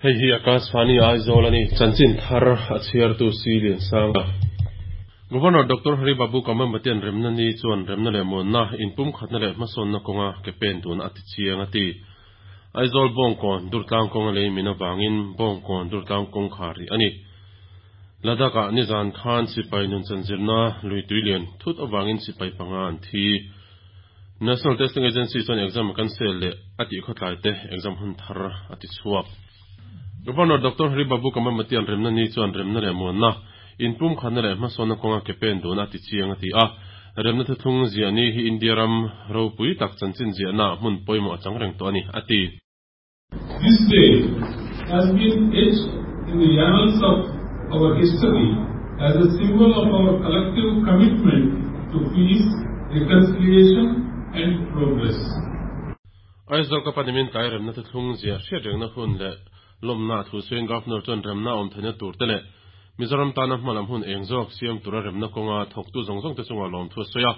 Hei hi Akashvani Aizawl a ni. Chanchin thar a chhiartu Si Liansanga. Governor Doctor Hari Babu Kambhampatian remna ni chuan remna leh muanna, inpumkhatna leh hmasawnna kawnga ke pen tuna a ti chiang a ti. Aizawl Bawngkawn Durtlang kawnga lei min avangin Bawngkawn Durtlang kawngkhar rih a ni. Ladakh-ah nizan khan sipai nunchan zirna lui tui lian thut avangin sipai panga an thi. National Testing Agency chuan exam a cancel leh a tih khawtlai te exam hun thar a ti chhuak. Governor Doctor Hari Babu Kambhampatian remna ni chuan remna leh muanna, inpumkhatna leh hmasawnna kawnga ke pen dun a ti chiang a ti a. Remna thuthlung ziah ni hi India ram ropui tak chanchin ziahna ah hmun pawimawh a chang reng tawh a ni, a ti. This day has been etched in the annals of our history as a symbol of our collective commitment to peace, reconciliation and progress. Aizawl ka panimin tlai remna thuthlung ziah hriat rengna hun leh lawmna a thu sawiin Governor chuan remna awm theihna tur te leh Mizoram tana hmalam hun eng zawk siam tura remna kawnga thawktu zawng zawng te chungah lawmthu a sawi a.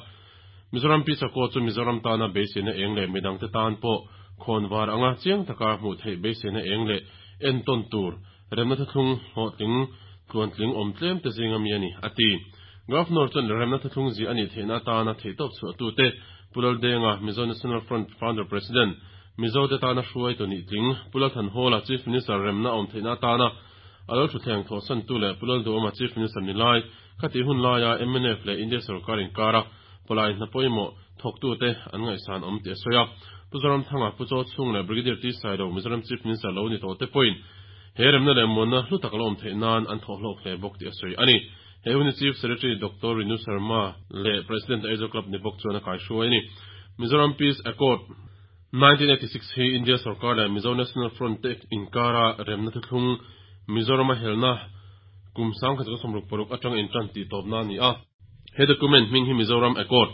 Mizoram Pi Chakaw chu Mizoram tana beiseina eng leh midangte tan pawh khawnvar anga chiang taka hmuh theih beiseina eng leh entawn tur remna thuthlung hlawhtling tluantling awm tlem te zinga mi a ni, a ti. Governor chuan remna thuthlung ziah a nih theihna atana theihtawp chhuahtute Pu Laldenga, Mizo National Front Founder President, Mizote tana hruaitu nih tling, Pu Lalthanhawla, Chief Minister remna awm theihna atana a lo thutthleng thawhsantu leh Pu Lalduhawma Chief Minister ni lai, Khatih hun laia mnf leh India sorkar inkara pawlai hna pawimawh thawktute an ngaihsan awm tih a sawi a. Pu Zoramthanga, Pu Chaw Chhung leh Brigadier T Sailo, Mizoram Chief Minister lo ni tawh te pawhin he remna leh muanna hlu tak la awm theih nan an thawh hlawk hle bawk tih a sawi a ni. He hun hi Chief Secretary Doctor Rinu Sharma leh President Aizawl Club ni bawk chuan a kaihruai a ni. Mizoram Peace Accord, 1986 hi India sorkar leh Mizo National Front te inkara remna thuthlung Mizorama helna kum 1966 atanga intan tih tawpna a ni a. He document hming hi Mizoram Accord,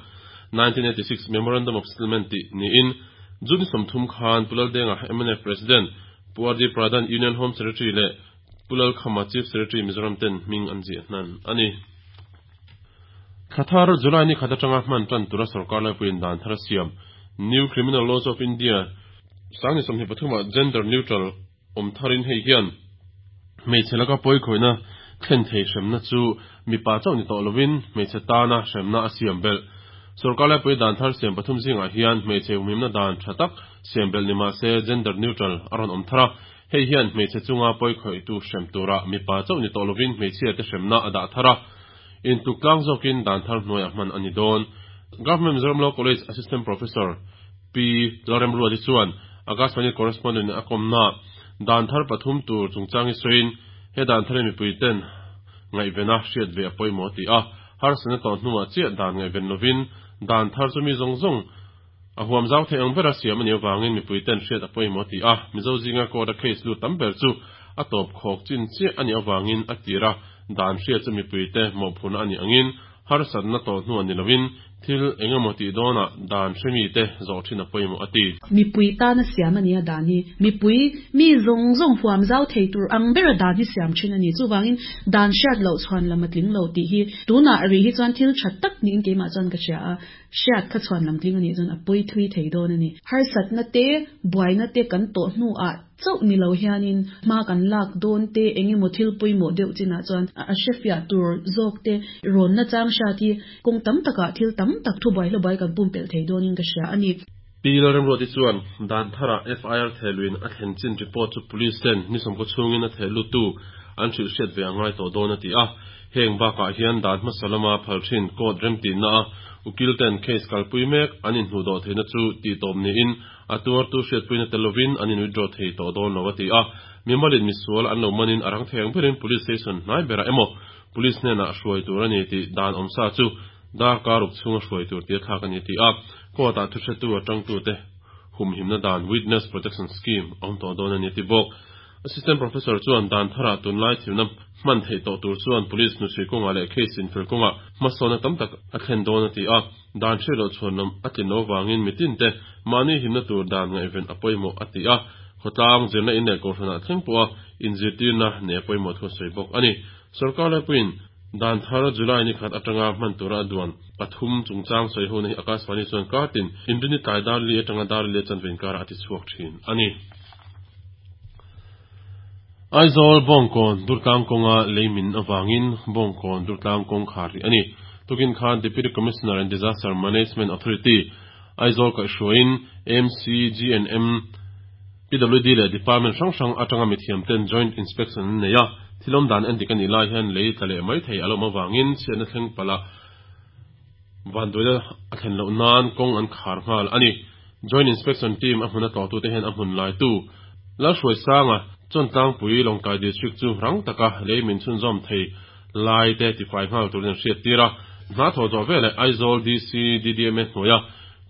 1986 Memorandum of Settlement tih niin June 30 khan Pu Laldenga, mnf President, Pu RD Pradhan, Union Home Secretary leh Pu Lalkhama, Chief Secretary Mizoram ten hming an ziah hnan a ni. Thla thar, July ni khat atanga hman tan tura sorkar laipuiin dan thar a siam, New Criminal Laws of India, 2023 ah gender neutral awm tharin hei hian hmeichhe laka pawikhawihna thlen thei hremna chu mipa chauh ni tawh lovin hmeichhe tana hremna a siam belh. Sorkar laipui dan thar siam pathum zingah hian hmeichhe humhimna dan tha tak siam belh ni mahse gender neutral a rawn awm thar a, hei hian hmeichhe chunga pawikhawihtu hrem tura mipa chauh ni tawh lovin hmeichhiate hremna a dah thar a, intluk tlang zawkin dan thar hnuaiah hman a ni dawn. Government Mizoram Law College Assistant Professor Pi Lalremruati chuan Akashvani correspondent a kawmna dan thar pathum tur chungchang hi sawiin he dan thar hi mipui ten ngaihvena hriat ve a pawimawh a ti a, harsatna tawh hnuah chiah dan ngaihven lovin dan thar chu mi zawng zawng a huam zau theih ang bera siam a nih avangin mipui ten hriat a pawimawh a ti a, Mizo zinga court a case lut tam ber chu a tawp khawk chin chiah a nih avangin a tir a, dan hriat chu mipui te mawhphurhna a nih angin Harsatna tawh hnuah ni lovin thil eng emaw tih dawnah dan hre mite zawh thin a pawimawh a ti. Mipui tana siam a nia dan hi mipui mi zawng zawng huam zau thei tur ang bera dan hi siam thin a ni. Chuvangin dan hriat loh chhuan lam a tling lo tih hi tunah rih hi chuan thil tha tak niin keimah chuan ka hria a. Hriat kha chhuan lam tling a nih chuan a pawi thui thei dawn a ni. Harsatna te, buaina te kan tawh hnuah chauh ni lo hianin hma kan lak dawn te, eng emaw thil pawimawh deuh chinah chuan a hrefiah tur zawk te rawn na chang hriat hi kawng tam takah thil tam tak thubuai hlabuai kan pumpelh thei dawnin ka hria a ni. Pi Lalremruati chuan dan tharah FIR thehluin a thlen chin report chu Police ten ni sawmkaw chhungin a thehluttu an hrilh hriat ve a ngai tawh dawn a ti a. Heng bakah hian dan hmasa lama phal thin court remtihna a ukil ten case kalpui mek an inhnuhdawh theihna chu tihtawp niin a tuartu hriatpuina tel lovin an in withdraw thei tawh dawn lo a ti a. Mimalin misual an lo manin a rang thei ang berin police station hnai berah emaw police hnenah hruai tur a ni tih dan awmsa chu darkar ruk chhunga hruai tur tia thlak a ni a ti a. Court ah thuhretu atangtute humhimna dan witness protection scheme a awm tawh dawn a ni a ti bawk. Assistant Professor chuan dan tharah tunlai thilna hman theih tawh tur chuan Police hnuchhui kawngah leh case infel kawngah hmasawnna tam tak a thlen dawn a ti a, dan hriat loh chhuanlam a tlin loh avangin mitinte mahni himna tur dan ngaihven a pawimawh a ti a, khawtlang zirna in leh kohhranah thleng pawha inzirtirna nei a pawimawh thu a sawi bawk a ni. Sorkar laipuiin dan thar July ni khat atanga hman tura a duan pathum chungchang sawi hona hi Akashvani chuan kartin inrini tlai dar li atanga dar li a chanve inkarah a ti chhuak thin a ni. Aizawl Bawngkawn Durtlang kawnga lei min avangin Bawngkawn Durtlang kawng khar rih a ni. Tukin khan Deputy Commissioner and Disaster Management Authority, Aizawl kaihhruaiin MCGNM, PWD leh Department hrang hrang atanga mithiamten Joint Inspection an nei a, thil awm dan endik a nih lai hian lei tla leh mai thei a lawm avangin chhiatna thleng palh a vanduaina a thlen loh nan kawng an khar nghal a ni. Joint Inspection Team a hmun a tlawhtute hian a hmun laitu Lalhruaisanga Chawntlangpui Lawngtlai District chu rang taka lei min chhunzawm thei lai te tifai nghal turin an hriattir a. Hna thawh zawh veleh Aizawl DC DDMA hnuaia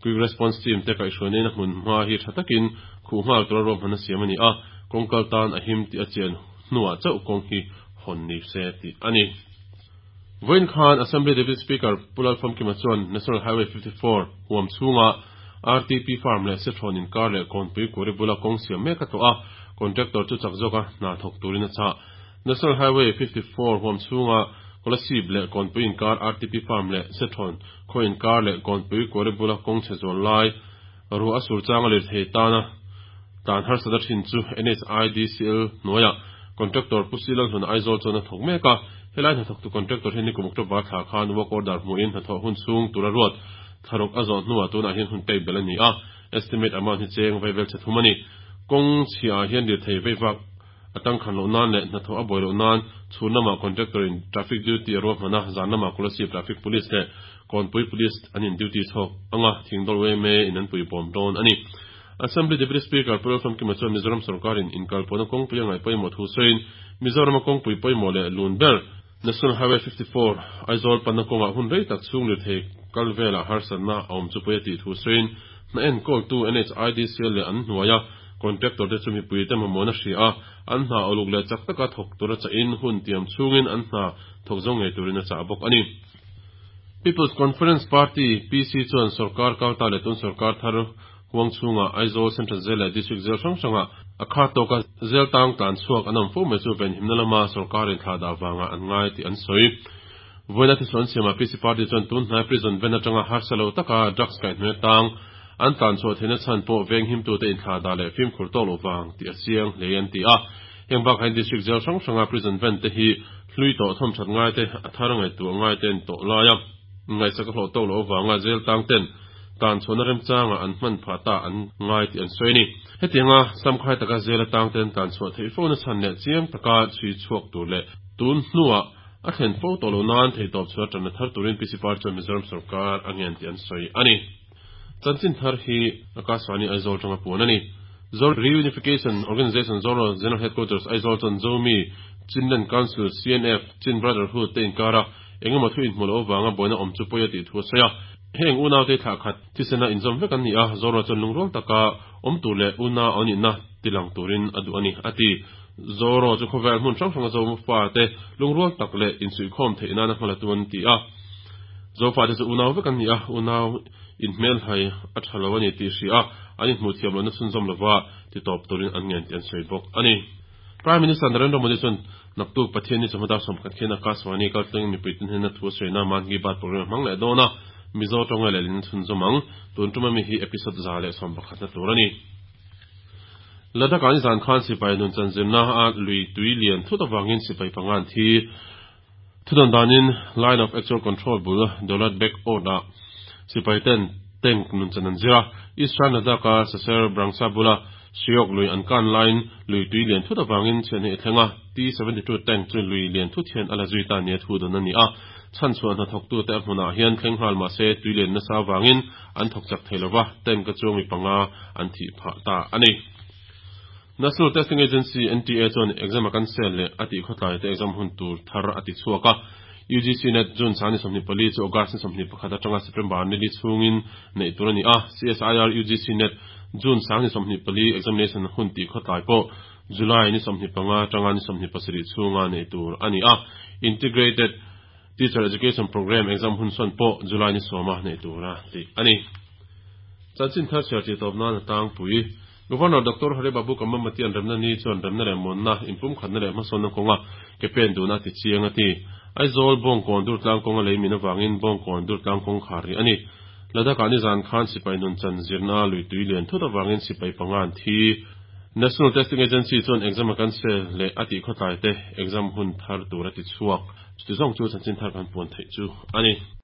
Quick Response Team te kaihhruaina a hmun hma hi tha takin khuh nghal tura ruahman a siam a ni a, kawng kal tan a him tih a chian hnuah chauh kawng hi hawn ni se tih a ni. Vawiin khan Assembly Deputy Speaker Pu Lalfamkima chuan National Highway 54 huam chhunga RTP Farm leh Sethrawn inkar leh Kawnpui Kuri bula kawng siam mek a tlawh a, contractor chu chak zawka hna thawk turin a chah. National Highway 54 huam chhunga Kolasib leh Kawnpui inkar RTP Farm leh Sethrawn khaw inkar leh Kawnpui Kuri bula kawng chhe zual lai ruah a sur changa lirthei tana tlan harsat a thin chu NHIDCL hnuaiah Contractor Pu Silal Hluna Aizawl chuan a thawk mek a. Helai hnathawktu contractor hi nikum October thla khan work order hmuhin hnathawh hun chhung tura ruat thlaruk a zawh hnuah tunah hian hun pek belh a ni a, estimate amount hi cheng veivel chhe thum a ni. Kawng chhiah ah hian lirthei veivak a tangkhan loh nan leh hnathawh a buai loh nan chhun lamah contractor in traffic duty a ruahman a, zan lamah Kolasib traffic police leh Kawnpui police an in duty chhawk anga Thingdawl yma in an puibawm dawn a ni. Assembly Deputy Speaker Pu Lalfamkima chuan Mizoram sorkarin inkalpawhna kawngpui a ngaih pawimawh thu sawiin Mizorama kawngpui pawimawh leh lun ber, National Highway 54, Aizawl panna kawngah hun rei tak chhung lirthei kal velah harsatna a awm chu pawi a tih thu sawiin hna enkawltu NHIDCL leh an hnuaia contractor te chu mipuite mamawhna hria a, an hna uluk leh chak taka thawk tura chahin hun tiam chhungin an hna thawk zo ngei turin a chah bawk a ni. People's Conference Party, PC, chuan sorkar kalta leh tun sorkar thar Huang chhungah Aizawl Central Jail leh District Jail hrang hrangah a khat tawka jail tang tlan chhuak an awm fo mai chu venhimna lama sorkarin thlah dah vangah an ngai tih an sawi. Vawiina thisuan siamah PC Party chuan tun hnai prison ven atanga harsa lo taka drugs kaihhnawih atang an tlan chhuah theihna chhan pawh venghimtute inthlah dah leh fimkhur tawk loh vang tih a chiang hle an ti a. Heng bakah hian District Jail hrang hranga prison ven te hi hlui tawh thawmthat ngai te, a thar ngaihtuah ngai te an tawh lai a. Ngaihsak a hlawh tawk loh avanga jail tang ten tan chhuahna remchangah an hman phah ta an ngai tih an sawi a ni. Hetianga samkhai taka jail atang ten tlan chhuah theih fo na chhan leh chiang taka chhui chhuak tur leh tun hnuah a thlen fo tawh loh nan theihtawp chhuah tanna thar turin PC Party chuan Mizoram sorkar a ngen tih an sawi a ni. Chanchin thar hi Akashvani Aizawl tanga puan a ni. Zor Reunification Organization Zoro General Headquarters Aizawl chuan Zomi, Chinland Council, CNF, Chin Brotherhood te inkara Engemaw thu inhmuh loh avanga buaina awm chu pawi a tih thu a sawi a. Heng unaute thlah khat thisena inzawm vek an ni a, Zoro chuan lungrual taka awm tur leh unau an nihna tilang turin a duh a ni, a ti. Zoro chu khawvel hmun hrang hranga Zo fate lungrual tak leh insuihkhawm theih nana hma latu an ti a. Zo fate chu unau vek an ni a, unau inhmelhai a tha lo a ni tih hria a, an inhmuh thiam lohna chhunzawm lova titawp turin an ngen tih an sawi bawk a ni. Prime Minister Narendra Modi chuan naktuk Pathian ni chawhma dar 11 khian Akashvani kaltlangin mipui tin hnena thu a sawi na Mann Ki Baat programme a hmang leh dawn a, Mizo tawnga lehlin a chhunzawm ang. Tun tum ami hi episode 111 na tur a ni. Ladakh ah nizan khan sipai nun chanzirna a lui tui lian thut avangin sipai panga an thi. Thudawn danin Line of Actual Control bul Daulat Beg Ord ah sipai ten tank nun chan an zir a. Eastern Ladakh a Saser Brangsa bula Shyok lui an kan laiin lui tui lian thut avangin chhiahni a thleng a, T-72 tank chu lui lian thut hian a la zui ta nia thu dawn a ni a. Chhanchhuah hnathawktute a hmunah hian thleng nghal mah se tui lian nasa avangin an thawk chak thei lova, tank a chuang mi panga an thih phah ta a ni. National Testing Agency, NTA, chuan exam a cancel leh a tih khawtlai te exam hun tur thar a ti chhuak a. UGC Net June sang ni 24 chu August ni 21 atanga September ni li chhungin neih tur a ni a. CSIR UGC Net June sang ni 24 examination hun tih khawtlai pawh July ni 25 atanga ni 27 chhunga neih tur a ni a. Integrated Teacher Education Programme exam hun sawn pawh July ni sawma neih tur a tih a ni. Chanchin thar chhiar tih tawp nan a tlangpui. Governor Doctor Hari Babu Kambhampati-a'n remna ni chuan remna leh muanna, inpumkhatna leh hmasawnna kawnga ke pen duhna a ti chiang a ti. Aizawl, Bawngkawn Durtlang kawnga lei min avangin Bawngkawn Durtlang kawng khar rih a ni. Ladakh-ah nizan khan sipai nun chan zirna lui tui lian thut avangin sipai panga an thi. National Testing Agency chuan exam a cancel leh a tih khawtlai te exam hun thar tur a ti chhuak. Chuti zawng chu chanchin thar kan puan theih chu a ni.